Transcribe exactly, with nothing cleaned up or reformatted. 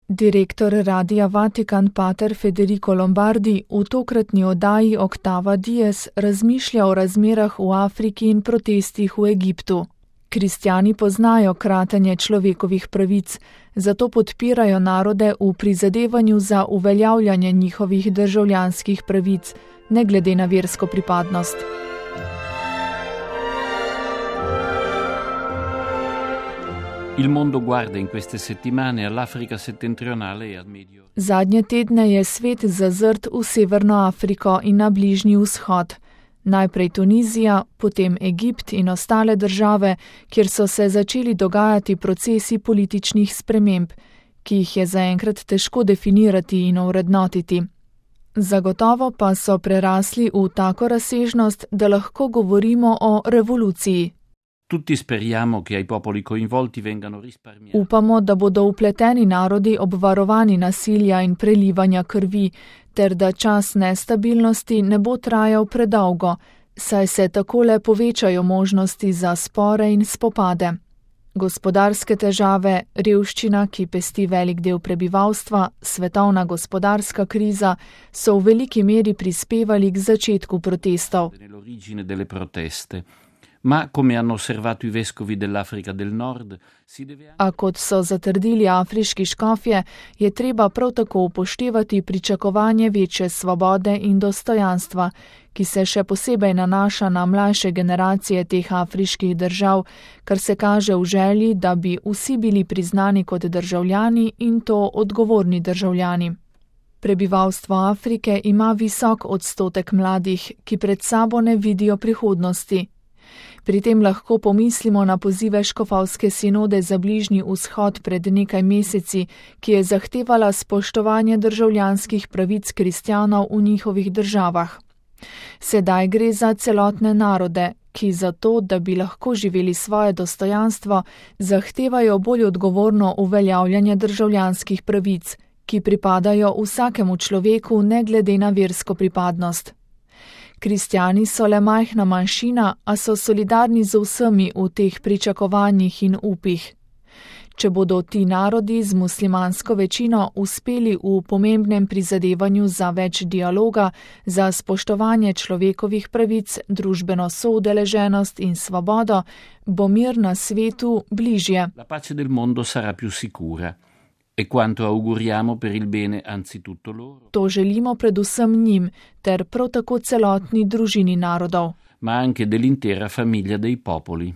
Direktor Radia Vatikan pater Federico Lombardi v tokratni oddaji Oktava Dies razmišlja o razmerah v Afriki in protestih v Egiptu. Kristjani poznajo kratenje človekovih pravic, zato podpirajo narode v prizadevanju za uveljavljanje njihovih državljanskih pravic, ne glede na versko pripadnost. Il mondo guarda in queste settimane all'Africa settentrionale e al Medio. Zadnje tedne je svet zazrt v Severno Afriko in na Bližnji vzhod. Najprej Tunizija, potem Egipt in ostale države, kjer so se začeli dogajati procesi političnih sprememb, ki jih je zaenkrat težko definirati in ovrednotiti. Zagotovo pa so prerasli v tako razsežnost, da lahko govorimo o revoluciji. Tutti speriamo che ai popoli coinvolti vengano risparmiati. Upamo, da bodo upleteni narodi obvarovani nasilja in prelivanja krvi, ter da čas nestabilnosti ne bo trajal predolgo, saj se takole povečajo možnosti za spore in spopade. Gospodarske težave, revščina, ki pesti velik del prebivalstva, svetovna gospodarska kriza so v veliki meri prispevali k začetku protestov. Nell'origine delle proteste. Ma, come hanno osservato i vescovi dell'Africa del Nord, si deve... A kot so zatrdili afriški škofje, je treba prav tako upoštevati pričakovanje večje svobode in dostojanstva, ki se še posebej nanaša na mlajše generacije teh afriških držav, kar se kaže v želji, da bi vsi bili priznani kot državljani in to odgovorni državljani. Prebivalstvo Afrike ima visok odstotek mladih, ki pred sabo ne vidijo prihodnosti. Pri tem lahko pomislimo na pozive škofovske sinode za Bližnji vzhod pred nekaj meseci, ki je zahtevala spoštovanje državljanskih pravic kristjanov v njihovih državah. Sedaj gre za celotne narode, ki zato, da bi lahko živeli svoje dostojanstvo, zahtevajo bolj odgovorno uveljavljanje državljanskih pravic, ki pripadajo vsakemu človeku ne glede na versko pripadnost. Kristjani so le majhna manjšina, a so solidarni z vsemi v teh pričakovanjih in upih. Če bodo ti narodi z muslimansko večino uspeli v pomembnem prizadevanju za več dialoga, za spoštovanje človekovih pravic, družbeno soudeleženost in svobodo, bo mir na svetu bližje. La pace del mondo sarà più sicura. E quanto auguriamo per il bene anzitutto loro. To želimo predvsem njim, ter prav tako celotni družini narodov. Ma anche dell'intera famiglia dei popoli.